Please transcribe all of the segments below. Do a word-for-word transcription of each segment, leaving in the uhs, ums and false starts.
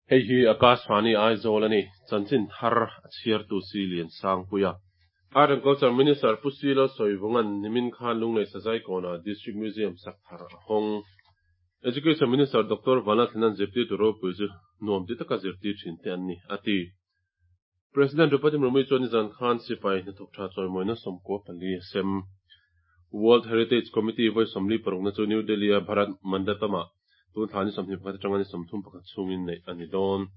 Hei hi Akashvani Aizawl a ni. Chanchin thar a chhiartu si Lian Sangpuia. Art and Culture Minister Pu C Lalsawivunga'n nimin khan Lunglei Sazai kawnah District Museum sak thar a hawng. Education Minister Doctor Vanlalthlana'n zirtirtu ropui chu nuam ti taka zirtir thin te an ni, a ti. President Draupadi Murmu chuan nizan khan sipai hnathawk tha chawimawina sawmkua pali a sem. World Heritage Committee vawi sawmli parukna chu New Delhi-a Bharat Mandapam-ah tun thla ni sawmhnih pakhat atanga ni sawmthum pakhat chhungin neih a ni dawn.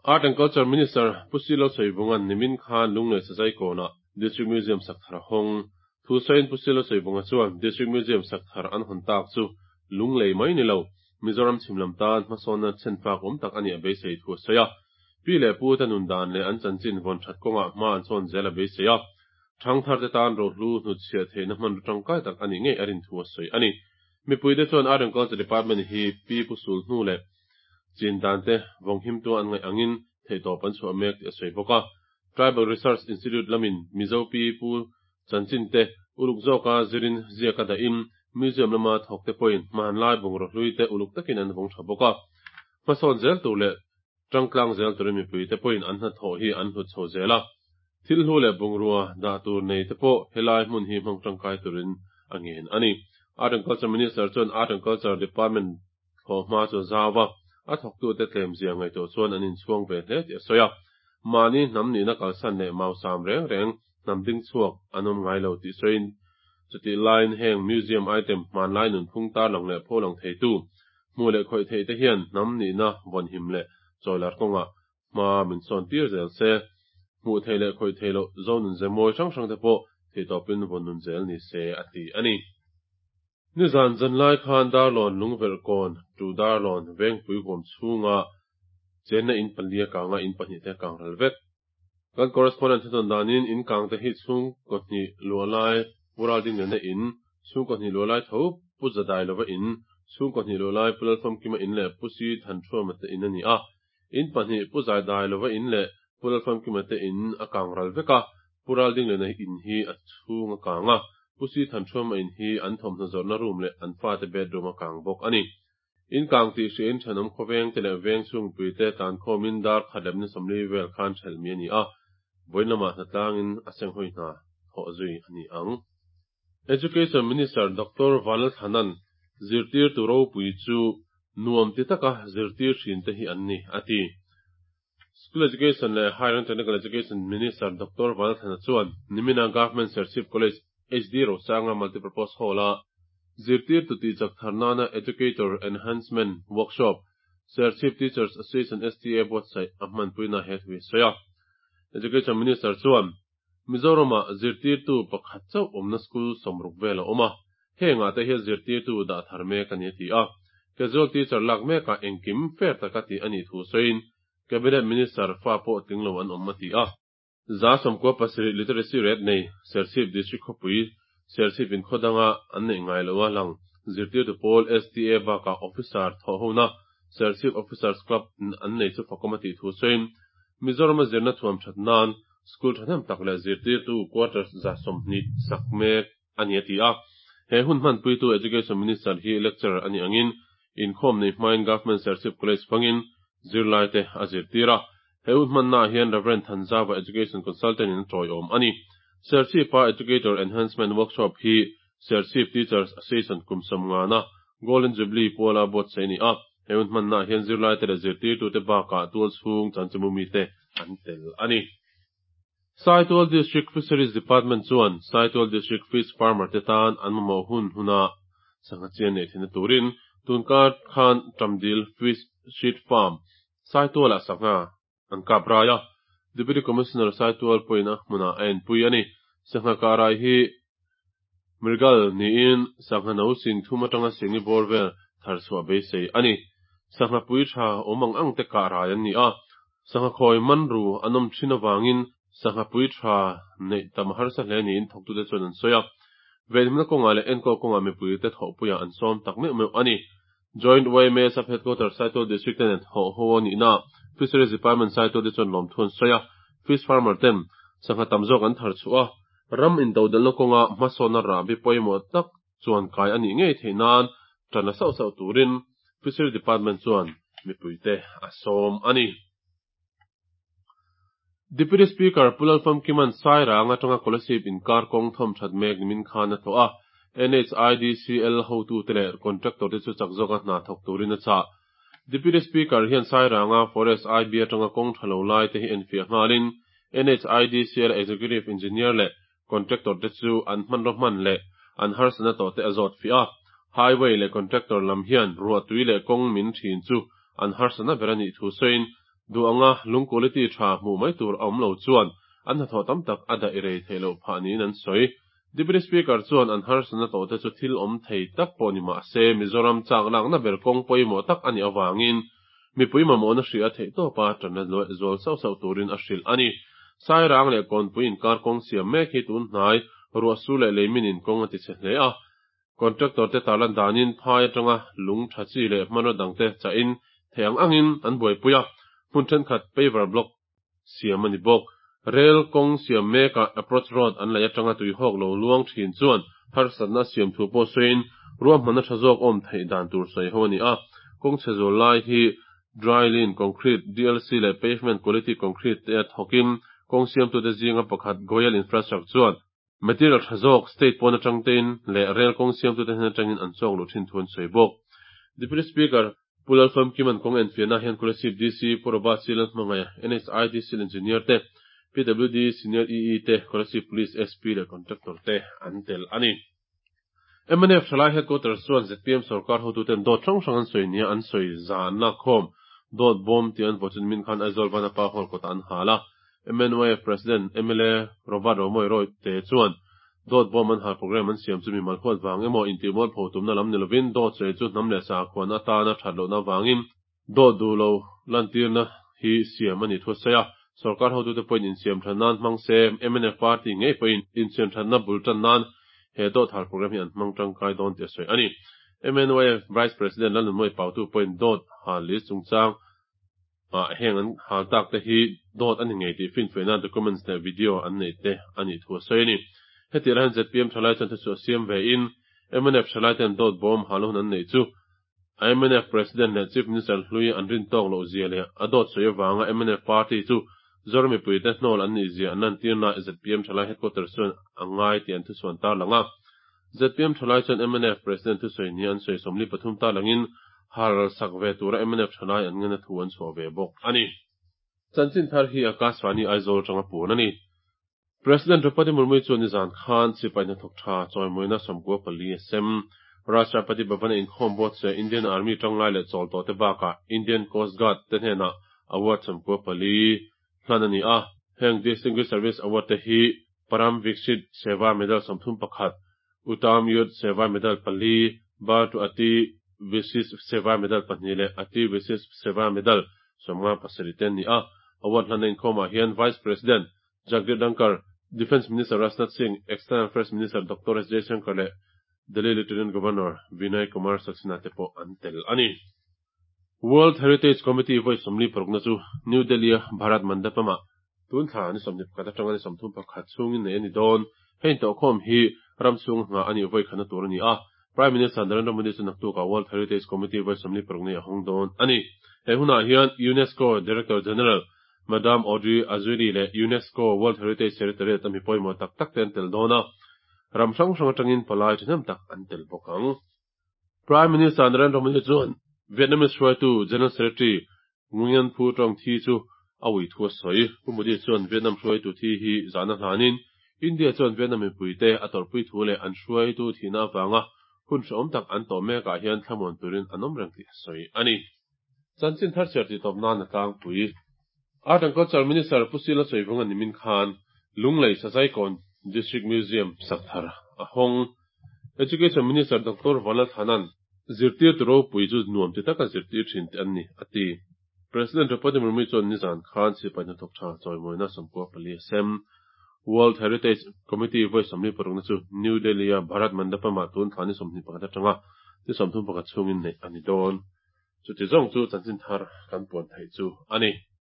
Art and Culture Minister Pu C Lalsawivunga'n nimin khan Lunglei Sazai kawnah District Museum sak thar a hawng. Thu sawiin Pu C Lalsawivunga chuan District Museum sak thar an hawn tak chu Lunglei mai ni lo, Mizoram chhim lam tan hmasawnna chhenfak awm tak a nih a beisei thu a sawi a. Pi leh pu te nun dan leh an chanchin vawn that kawngah hma an sawn zel a beisei a. Thangthar te tan rohlu hnutchhiah theihna hmanraw tangkai tak a nih ngei a rin thu a sawi a ni. Mipui te chuan Art and Culture Department hi pi pu sul hnu leh chin dan te vawng him tu an ngaih angin theihtawp an chhuah mek tih a sawi bawk a. Tribal Research Institute lamin Mizo pi pu chanchin te uluk zawka zirin ziak a dahin museum lama thawk te pawhin hmanlai bungraw hlui te uluk takin an vawng tha bawk a. Hmasawn zel tur leh tangtlang zel turin mipui te pawhin an hnathawh hi an hlut chho zel a. Thil hlu leh bungrua dah tur nei te pawh helai hmun hi hmang tangkai turin a ngen a ni. Art and Culture Minister chuan Art and Culture Department thlawh hma chu zau a, a thawktute tlem zia ngaihtuah chuan an inchhuang ve hle tih a sawi a. Mahni hnam nihna kalsan leh mausam reng reng hnam ding chhuak an awm ngai lo tih sawiin chutih laiin heng museum item hmanlai nunphung tarlang leh pholang theitu hmu leh khawih theih te hian hnam nihna vawn him leh chawilar kawngah hma min sawn tir zel se. Hmuh theih leh khawih theih loh zo nun ze mawi hrang hrang te pawh theihtawpin vawn nun zel ni se a ti a ni. Nizan zanlai khan Darlawn Lungverh kawn tu Darlawn vengpui huam chhunga chenna in pali a kanga in pahnih te kang ral vek. Kan correspondent thudawn danin in kang te hi chhung kaw hnih luah lai Pural ding lehna in, chhung kaw hnih luah lai tho Pu Zadai lova in, chhung kaw hnih luah lai Pu Lalfamkima in leh Pu Si Thanṭhuama te in a ni a. In pahnih Pu Zaidai lova in leh Pu Lalfamkima te in a kang ral vek a, Pu Ral ding lehna in hi a chhung a kang a, Pu Si Thanṭhuama in hi an thawmhnaw zawrhna room leh an fate bedroom a kang bawk a ni. In kang tih hriain thenawm khawveng te leh veng chhungpui te tlan khawmin dar khat leh ni sawmli vel khan ṭhelh mi a ni a, vawiin lamah hnatlangin a senghawi hna thawh zui a ni ang. Education Minister Doctor Vanlalthlana'n zirtirtu ropui chu nuam ti taka zirtir thin te hi an ni, a ti. School Education leh Higher and Technical Education Minister Doctor Vanlalthlana chuan nimina Government Serchhip College H D Rosanga Multipurpose Hall-a zirtirtu tihchak thar nana Educator Enhancement Workshop Serchhip Teachers Association S T A buatsaih a hmanpuina he thu hi a sawi a. Education Minister chuan Mizoramah zirtirtu pakhat chauh awmna school sawmruk vel a awm a, hengah te hian zirtirtu dah thar mek a ni a ti a. Casual teacher lak mekah engkim fair taka tih a nih thu sawiin Cabinet Minister fa pawh tling lo an awm a ti a. Za sawmkua pasarih literacy rate nei Serchhip District khawpui Serchhip in khaw danga an neih ngai lo a lang zirtirtu pawl S T A bakah officer thawh hona Serchhip Officers Club an nei chu fakawm a tih thu sawiin Mizoram a zirna thuam that nan school thahnem tak leh zirtirtu quarters za sawmhnih sak mek a ni a ti a. He hun hmanpuitu Education Minister hi lecturer a ni angin inkhawm nei hmain Government Serchhip College fangin zirlai te a zirtir a. He hun hmannaah hian Reverend Thanzava Education Consultant in a tawiawm a ni. Serchhipa Educator Enhancement Workshop hi Serchhip Teachers Association kum sawmngana Golden Jubilee puala buatsaih a ni a. He hun hmannaah hian zirlai te leh zirtirtute bakah tual chhung chanchinbu mite an tel a ni. Saitual District Fisheries Department chuan Saitual District Fish Farmer te tan an mamawh hun huna sangha chian nei theihna turin tunkar khan Tamdil Fish Seed Farm Saitualah sangha an kap rai a. Deputy Commissioner Saitual pawhin a hmunah a enpui a ni. Sangha kah rai hi Mrigal niin sangha no sing thum atanga singi bawr vel thar chhuah beisei a ni. Sangha pui tha awm ang ang te kah rai an ni a. Sangha khawi man ru an awm thin avangin sangha pui tha neih tam harsa hle niin thawktute chuan an sawi a. Venhimna kawngah leh enkawl kawngah mipui te thawhpuiah an sawm tak meuh meuh a ni. Joint Y M A Sub Headquarter Saitual District te nen thawh ho a nihna Fisheries Department Saitual te chuan lawmthu an sawi a. Fish farmer ten sangha tam zawk an thar chhuah a, ram intodelhna kawnga hmasawnna rahbi pawimawh tak chuan kai a nih ngei theih nan tan la sauh sauh turin Fisheries Department chuan mipuite a sawm a ni. Deputy Speaker Pu Lalfamkima'n Sairang atanga Kolasib inkar kawng thawm that mek nimin khan a tlawh a, NHIDCL hotute leh contractor te chu chak zawka hna thawk turin a chah. Deputy Speaker hian Sairanga Forest IB atanga kawng tha lo lai te hi enfiah nghalin NHIDCL Executive Engineer leh contractor te chu an hmanraw hman leh an harsatna tawh te a zawt fiah a. Highway leh contractor lam hian ruahtui leh kawng min thin chu an harsatna ber a nih thu sawiin duh anga lung quality tha hmuh mai tur a awm lo chuan an hnathawh tam tak a daih rei theih loh phah niin an sawi. Deputy Speaker chuan an harsatna tawh te chu thil awm thei tak pawh ni mah se Mizoram chak lakna ber kawng pawimawh tak a nih avangin mipui mamawhna hria theih tawpa tanna zual sauh sauh turin a hrilh a ni. Sairang leh Kawnpui inkar kawng siam mek hi tun hnai ruahsur leh leimin in kawng a ti chhe hle a. Contractor te tarlan danin phai atanga lung tha chi leh hmanraw dangte chahin thei ang angin an buaipui a, hmun thenkhat paver block siam a ni bawk. Rail kawng siam mekah approach road an lei atanga tuihawk lo luang thin chuan harsatna siam thu pawh sawiin ruahmanna tha zawk awm theih dan tur sawi ho a ni a. Kawng chhe zual lai hi dry lime concrete, DLC leh pavement quality concrete te a thawkin kawng siamtute zinga pakhat Goyal Infrastructure chuan material tha zawk state pawn atang tein leh rail kawng siamtute hnen atangin an chawk luh thin thu an sawi bawk. Deputy Speaker Pu Lalfamkima'n kawng enfiahna hian Kolasib DC Pu Robert C. Lalhmangaih, NHIDCL Engineer te, PWD Senior EE te, Kolasib Police SP leh Contractor te an tel a ni. MNF Thalai Headquarters chuan ZPM sarkar hotuten dawt hrang hrang an sawi nia an sawi zan lak khawm dawt bawm tih an vaw chu nimin khan Aizawl Vanapa Hall kawtah an hal a. MNYF President MLA Robert Romawia Royte chuan dawt bawm an hal program an siam chu mi mal huat vang emaw intihmual pho tumna lam ni lovin dawt sawi chu hnam leh sakhuan atana that lohna vangin dawt duh lo lantirna hi siam a ni thu a sawi a. Sarkar hotute pawhin insiam that nan hmang se MNF party ngei pawhin insiam thatna bul tan nan he dawt hal program hi an hmang tangkai dawn tih a sawi a ni. MNYF Vice President Lalnunmawia Pautu pawhin dawt hal list chungchang ah heng an hal tak te hi dawt a ni ngei tih finfiahna documents leh video an nei te a nih thu a sawi a ni. Heti lai hian ZPM thalai chuan thuchhuah siam ve in MNF thalai ten dawt bawm hal hun an nei chu MNF President leh Chief Minister hlui an rin tawk loh zia leh a dawt sawi avanga MNF party chu Zoram mipuite hnawl an nih zia an lantirna ZPM thalai headquarters chuan a ngai tih an thuchhuan tar lang a. ZPM thalai chuan MNF President thusawi nia an sawi sawmli pathum tar langin hal sak ve tura MNF thalai an ngena thu an chhuah ve bawk a ni. Chanchin thar hi Akashvani Aizawl atanga puan a ni. President Draupadi Murmu chuan nizan khan sipai hnathawk tha chawimawina sawmkua pali a sem. Rashtrapati Bhavan a inkhawm buatsawi a Indian Army tanglai leh chawl tawh te bakah Indian Coast Guard te hnenah award sawmkua pali hlan a ni a. Heng Distinguished Service Award te hi Param Vishisht Seva Medal sawmthum pakhat, Uttam Yudh Seva Medal pali, Bar to Ati Vishisht Seva Medal pahnih leh Ati Vishisht Seva Medal sawmnga pasarih te an ni a. Award hlan a inkhawmah hian Vice President Jagdeep Dhankhar, Defence Minister Rajnath Singh, External Affairs Minister Dr S Jaishankar leh Delhi Lieutenant Governor Vinay Kumar Saxena te pawh an tel a ni. World Heritage Committee vawi sawmli parukna chu New Delhi a Bharat Mandapam-ah tun thla ni sawmhnih pakhat atanga ni sawmthum pakhat chhungin nei a ni dawn. Hei intawhkhawm hi ram chhung hna a nih vawi khatna tur a ni a. Prime Minister Narendra Modi chu naktukah World Heritage Committee vawi sawmli paruk nei a hawng dawn a ni. He hunah hian UNESCO Director General Madame Audrey Azoulay leh UNESCO World Heritage Secretariat a mi pawimawh tak tak te an tel dawn a. Ram hrang hrang atangin palai thahnem tak an tel bawk ang. Prime Minister Narendra Modi chuan Vietnamese hruaitu General Secretary Nguyen Phu Trong thi chu a ui thu a sawi. Pu Modi chuan Vietnam hruaitu thi hi zahna hlanin India chuan Vietnam mipuite a tawrhpui thu leh an hruaitu thihna avanga hun hrehawm tak an tawh mekah hian thlamuan turin an awm reng tih a sawi a ni. Chanchin thar chhiar tih tawp nan a tlangpui. Art and Culture Minister Pu Sila Sawivunga nimin khan Lunglei Sazaikawn District Museum sak thar a hawng. Education Minister Dr Vanlalthanan zirtir tu ropui chu nuam ti taka zirtir thin te an ni a ti. President Draupadi Murmu chuan nizan khan sipai hnathawk tha chawimawina sawmkua pali a sem. World Heritage Committee vawi sawmli parukna chu New Delhi a Bharat Mandapam-ah tun thla ni sawmhnih pakhat atanga ni sawmthum pakhat chhungin neih a ni dawn. Chuti zawng chu chanchin thar kan puan theih chu a ni.